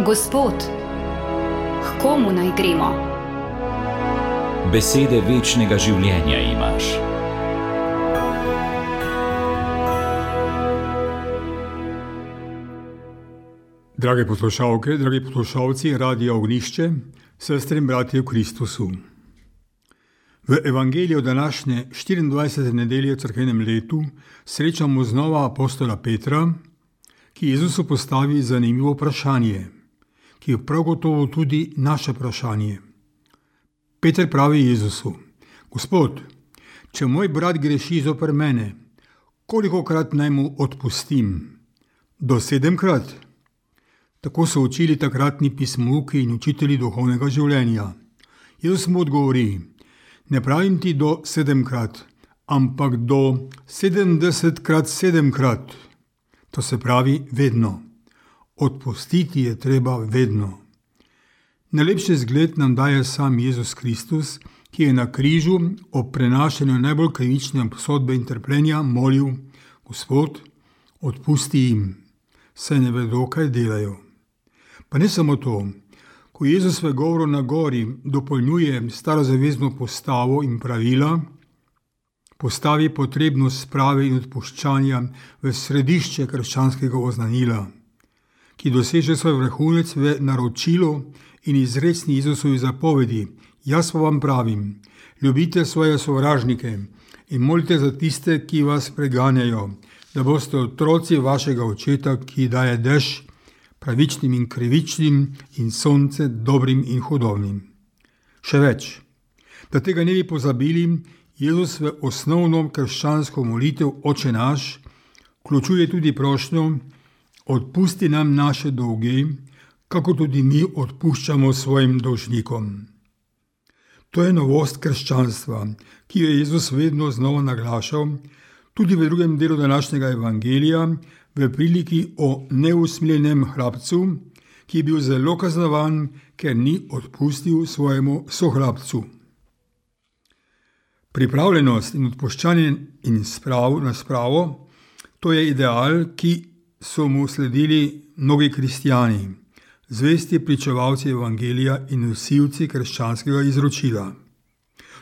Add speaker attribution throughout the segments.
Speaker 1: Gospod, k komu naj gremo?
Speaker 2: Besede večnega življenja imaš.
Speaker 3: Drage poslušalke, dragi poslušalci Radia Ognjišče, sestre in bratje v Kristusu. V evangeliju današnje 24. nedelje v cerkvenem letu srečamo znova apostola Petra, ki Jezusu postavi zanimivo vprašanje, ki je prav gotovo tudi naše vprašanje. Peter pravi Jezusu: Gospod, če moj brat greši zoper mene, kolikokrat naj mu odpustim? Do 7-krat? Tako so učili takratni pismouki in učitelji duhovnega življenja. Jezus mu odgovori: ne pravim ti do 7-krat, ampak do 70-krat 7-krat. To se pravi vedno. Odpustiti je treba vedno. Najlepši zgled nam daje sam Jezus Kristus, ki je na križu ob prenašanju najbolj krivične obsodbe in trpljenja molil: Gospod, odpusti jim, saj ne vedo, kaj delajo. Pa ne samo to. Ko Jezus v govoru na gori dopolnjuje starozavezno postavo in pravila, postavi potrebnost sprave in odpuščanja v središče krščanskega oznanila, ki doseže svoj vrhunec v naročilu in izrecni Jezusovi zapovedi: jaz pa vam pravim, ljubite svoje sovražnike in molite za tiste, ki vas preganjajo, da boste otroci vašega očeta, ki daje dež pravičnim in krivičnim in sonce dobrim in hudobnim. Še več, da tega ne bi pozabili, Jezus v osnovno krščansko molitev Oče naš vključuje tudi prošnjo: odpusti nam naše dolge, kako tudi mi odpuščamo svojim dolžnikom. To je novost krščanstva, ki jo je Jezus vedno znova naglašal, tudi v drugem delu današnjega evangelija, v priliki o neusmiljenem hlapcu, ki je bil zelo kaznovan, ker ni odpustil svojemu sohlapcu. Pripravljenost in odpuščanje in na spravo, to je ideal, ki so mu sledili mnogi kristjani, zvesti pričevalci evangelija in nosilci krščanskega izročila.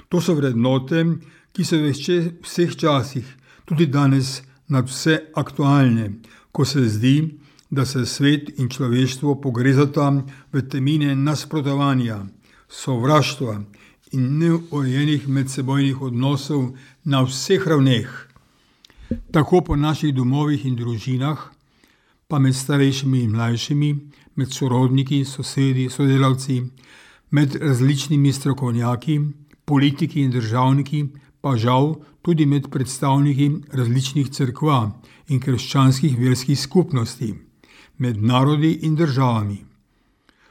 Speaker 3: To so vrednote, ki so v vseh časih, tudi danes, nadvse aktualne, ko se zdi, da se svet in človeštvo pogrezata v temine nasprotovanja, sovraštva in neurejenih medsebojnih odnosov na vseh ravneh, tako po naših domovih in družinah, pa med starejšimi in mlajšimi, med sorodniki, sosedi, sodelavci, med različnimi strokovnjaki, politiki in državniki, pa žal tudi med predstavniki različnih cerkva in krščanskih verskih skupnosti, med narodi in državami.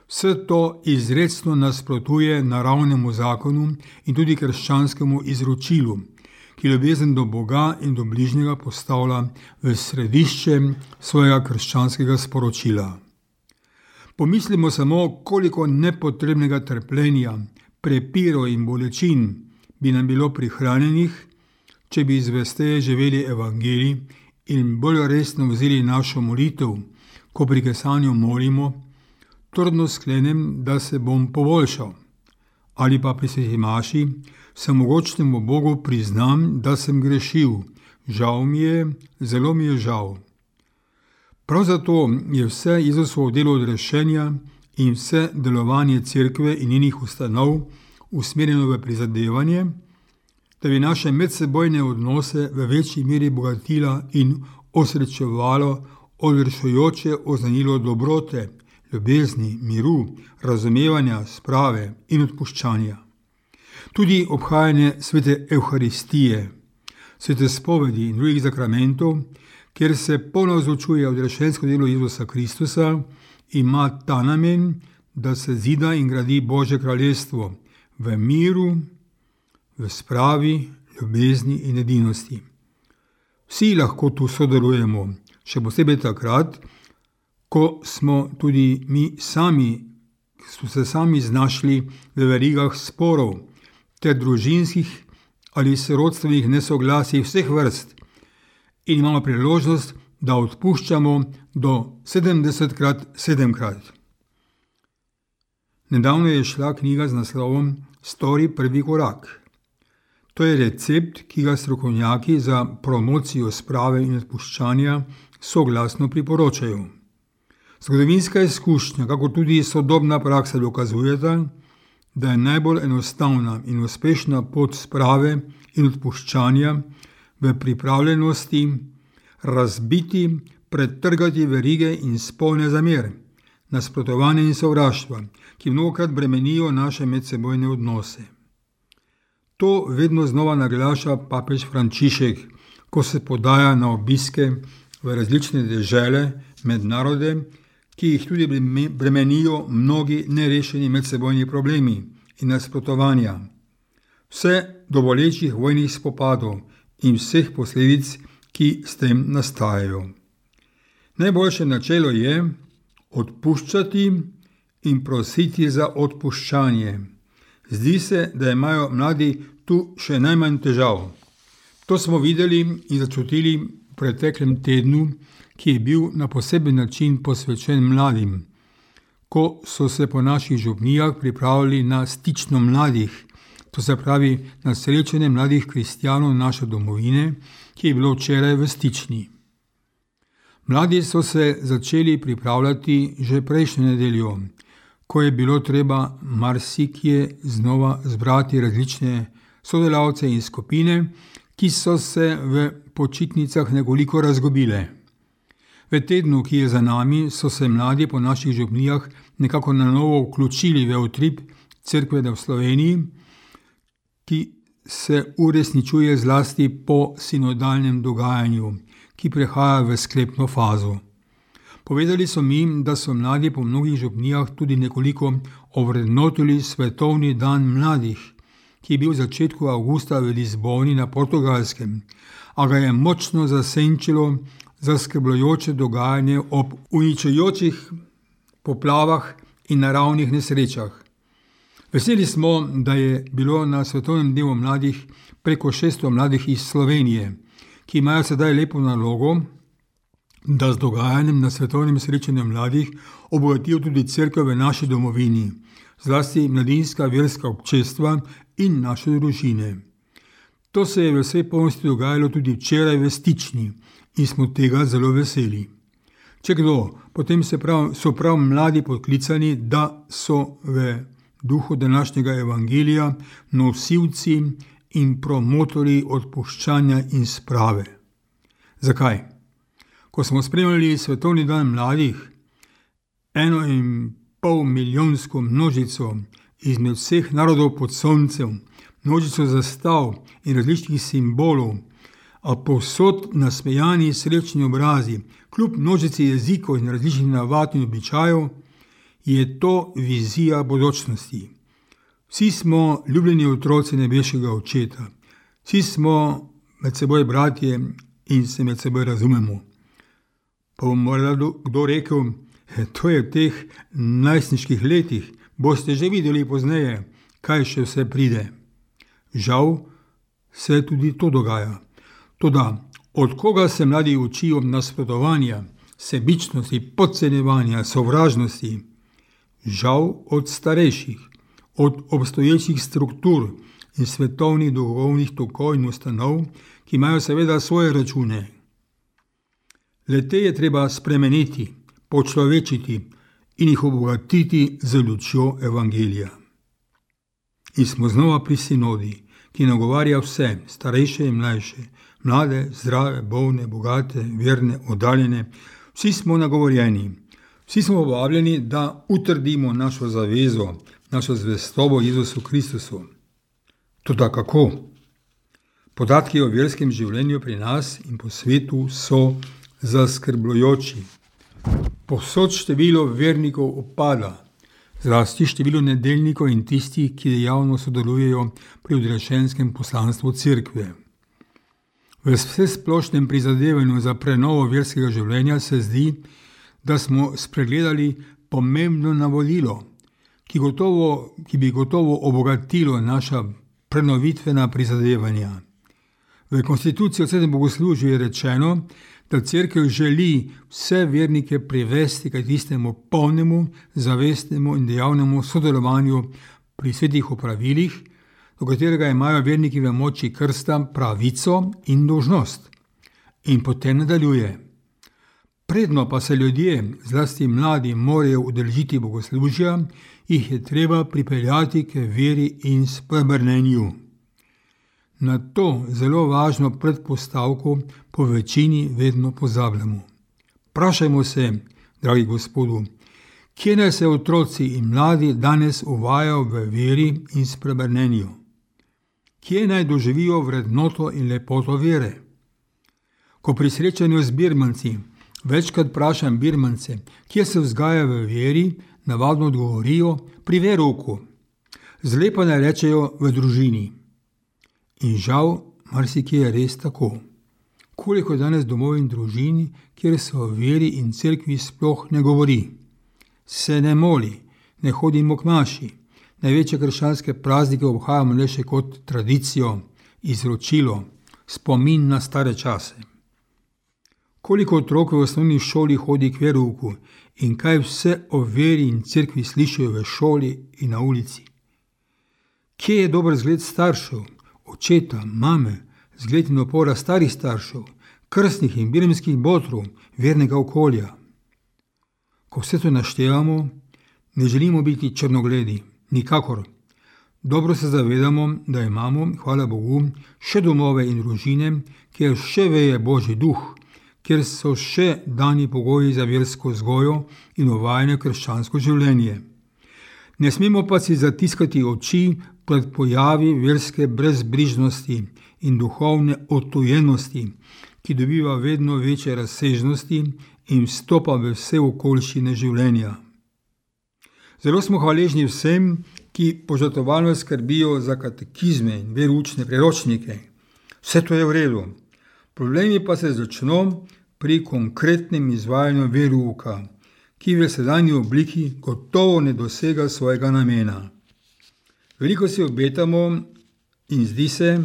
Speaker 3: Vse to izrecno nasprotuje naravnemu zakonu in tudi krščanskemu izročilu, ki ljubezen do Boga in do bližnjega postavlja v središče svojega krščanskega sporočila. Pomislimo samo, koliko nepotrebnega trpljenja, prepirov in bolečin bi nam bilo prihranjenih, če bi zvesteje živeli evangelij in bolj resno vzeli našo molitev, ko pri kesanju molimo: trdno sklenem, da se bom poboljšal. Ali pa pri sveti maši vsemogočnemu Bogu priznam, da sem grešil. Žal mi je, zelo mi je žal. Prav zato je vse Jezusovo delo odrešenja in vse delovanje cerkve in njenih ustanov usmerjeno v prizadevanje, da bi naše medsebojne odnose v večji meri bogatila in osrečevalo odvršujoče oznanilo dobrote, ljubezni, miru, razumevanja, sprave in odpuščanja. Tudi obhajanje svete Evharistije, svete spovedi in drugih zakramentov, kjer se ponavzočuje odrešensko delo Jezusa Kristusa, ima ta namen, da se zida in gradi Božje kraljestvo v miru, v spravi, ljubezni in edinosti. Vsi lahko tu sodelujemo, še posebej takrat, ko smo tudi mi sami znašli v verigah sporov ter družinskih ali sorodstvenih nesoglasij vseh vrst in imamo priložnost, da odpuščamo do 70-krat 7-krat. Nedavno je šla knjiga z naslovom Stori prvi korak. To je recept, ki ga strokovnjaki za promocijo sprave in odpuščanja soglasno priporočajo. Zgodovinska izkušnja, kako tudi sodobna praksa dokazujeta, da je najbolj enostavna in uspešna pot sprave in odpuščanja v pripravljenosti razbiti, pretrgati verige in spolne zamere, nasprotovanja in sovraštva, ki mnogokrat bremenijo naše medsebojne odnose. To vedno znova naglaša papež Frančišek, ko se podaja na obiske v različne dežele med narode, ki jih tudi bremenijo mnogi nerešeni medsebojni problemi in nasprotovanja, vse do bolečih vojnih spopadov in vseh posledic, ki s tem nastajajo. Najboljše načelo je odpuščati in prositi za odpuščanje. Zdi se, da imajo mladi tu še najmanj težav. To smo videli in začutili v preteklem tednu, ki je bil na poseben način posvečen mladim, ko so se po naših župnijah pripravili na stično mladih, to se pravi na srečanje mladih kristjanov naše domovine, ki je bilo včeraj v Stični. Mladi so se začeli pripravljati že prejšnjo nedeljo, ko je bilo treba marsikje znova zbrati različne sodelavce in skupine, ki so se v počitnicah nekoliko razgubile. V tednu, ki je za nami, so se mladi po naših župnijah nekako na novo vključili v utrip Cerkve v Sloveniji, ki se uresničuje zlasti po sinodalnem dogajanju, ki prehaja v sklepno fazo. Povedali so mi, da so mladi po mnogih župnijah tudi nekoliko ovrednotili Svetovni dan mladih, ki je bil v začetku avgusta v Lizboni na Portugalskem, a ga je močno zasenčilo zaskrbljujoče dogajanje ob uničujočih poplavah in naravnih nesrečah. Veseli smo, da je bilo na Svetovnem dnevu mladih preko 600 mladih iz Slovenije, ki imajo sedaj lepo nalogo, da z dogajanjem na svetovnem srečanju mladih obogatijo tudi cerkev v naši domovini, zlasti mladinska verska občestva in naše družine. To se je v vsej polnosti dogajalo tudi včeraj v Stični in smo tega zelo veseli. Če kdo, potem so prav mladi podklicani, da so v duhu današnjega evangelija nosilci in promotorji odpuščanja in sprave. Zakaj? Ko smo spremljali Svetovni dan mladih, 1,5 milijonsko množico izmed vseh narodov pod soncem, množico zastav in različnih simbolov, a povsod nasmejani srečni obrazi, kljub množici jezikov in različnih navad in običajev, je to vizija bodočnosti. Vsi smo ljubljeni otroci nebeškega Očeta, vsi smo med seboj bratje in se med seboj razumemo. Pa bo morda kdo rekel, to je v teh najstniških letih, boste že videli pozneje, kaj še vse pride. Žal se tudi to dogaja. Toda, od koga se mladi učijo nasprotovanja, sebičnosti, podcenjevanja, sovražnosti? Žal od starejših, od obstoječih struktur in svetovnih duhovnih tokov in ustanov, ki imajo seveda svoje račune. Le-te je treba spremeniti, počlovečiti in jih obogatiti z lučjo evangelija. In smo znova pri sinodi, ki nagovarja vse, starejše in mlajše, mlade, zdrave, bolne, bogate, verne, oddaljene. Vsi smo nagovorjeni, vsi smo povabljeni, da utrdimo našo zavezo, našo zvestobo Jezusu Kristusu. Toda kako? Podatki o verskem življenju pri nas in po svetu so zaskrbljujoči. Povsod število vernikov upada, zlasti število nedeljnikov in tistih, ki dejavno sodelujejo pri odrešenskem poslanstvu cerkve. V vsesplošnem prizadevanju za prenovo verskega življenja se zdi, da smo spregledali pomembno navodilo, ki bi gotovo obogatilo naša prenovitvena prizadevanja. V konstituciji o svetem bogoslužju je rečeno, da Cerkev želi vse vernike privesti k tistemu polnemu, zavestnemu in dejavnemu sodelovanju pri svetih opravilih, do katerega imajo verniki v moči krsta pravico in dolžnost. In potem nadaljuje. Predno pa se ljudje, zlasti mladi, morajo udeležiti bogoslužja, jih je treba pripeljati k veri in spreobrnenju. Na to zelo važno predpostavko po večini vedno pozabljamo. Vprašajmo se, dragi Gospodu, kje naj se otroci in mladi danes uvajajo v veri in spreobrnenju? Kje naj doživijo vrednoto in lepoto vere? Ko pri srečanju z birmanci večkrat vprašam birmance, kje se vzgaja v veri, navadno odgovorijo pri verouku. Zle pa ne rečejo v družini. In žal, marsikje je res tako. Koliko je danes domov in družini, kjer se o veri in cerkvi sploh ne govori. Se ne moli, ne hodimo k maši. Največje krščanske praznike obhajamo le še kot tradicijo, izročilo, spomin na stare čase. Koliko otrok v osnovni šoli hodi k verouku in kaj vse o veri in cerkvi slišijo v šoli in na ulici. Kje je dober zgled staršev, očeta, mame, zgled in opora starih staršev, krstnih in birmskih botrov, vernega okolja? Ko vse to naštevamo, ne želimo biti črnogledi, nikakor. Dobro se zavedamo, da imamo, hvala Bogu, še domove in družine, kjer še veje Božji duh, kjer so še dani pogoji za versko vzgojo in uvajanje krščansko življenje. Ne smemo pa si zatiskati oči pred pojavi verske brezbrižnosti in duhovne odtujenosti, ki dobiva vedno večje razsežnosti in vstopa v vse okoliščine življenja. Zelo smo hvaležni vsem, ki požrtvovalno skrbijo za katekizme in veroučne priročnike. Vse to je v redu. Problemi pa se začno pri konkretnem izvajanju verouka, ki v sedanji obliki gotovo ne dosega svojega namena. Veliko si obetamo in zdi se,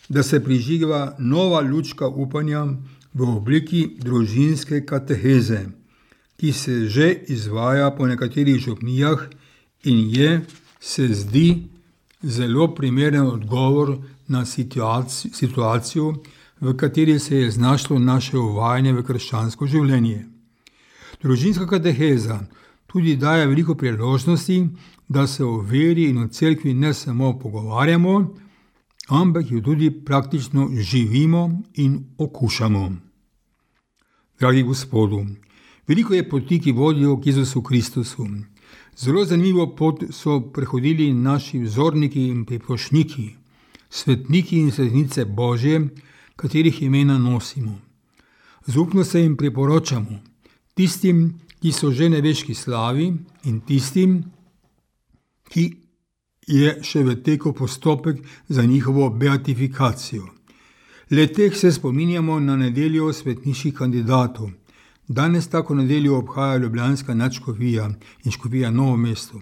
Speaker 3: da se prižiga nova lučka upanja v obliki družinske kateheze, ki se že izvaja po nekaterih župnijah in se zdi, zelo primeren odgovor na situacijo, v kateri se je znašlo naše uvajanje v krščansko življenje. Družinska kateheza tudi daje veliko priložnosti, da se o veri in o cerkvi ne samo pogovarjamo, ampak jo tudi praktično živimo in okušamo. Dragi Gospodu, veliko je poti, ki vodijo k Jezusu Kristusu. Zelo zanimivo pot so prehodili naši vzorniki in priprošniki, svetniki in svetnice Božje, katerih imena nosimo. Zaupno se jim priporočamo, tistim, ki so že nebeški slavi in tistim, ki je še v teku postopek za njihovo beatifikacijo. Le teh se spominjamo na nedeljo svetniških kandidatov. Danes tako nedeljo obhaja ljubljanska nadškofija in škofija Novo mesto.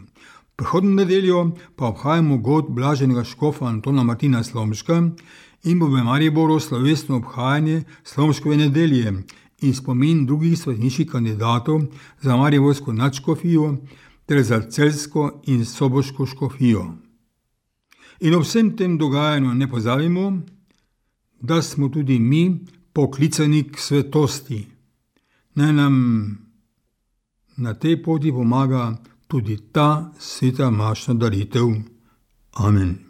Speaker 3: Prihodnjo nedeljo pa obhajamo god blaženega škofa Antona Martina Slomška in bo v Mariboru slovesno obhajanje Slomškove nedelje in spomin drugih svetniških kandidatov za mariborsko nadškofijo ter za celjsko in soboško škofijo. In ob vsem tem dogajanju ne pozabimo, da smo tudi mi poklicani k svetosti. Naj nam na tej poti pomaga tudi ta sveta mašna daritev. Amen.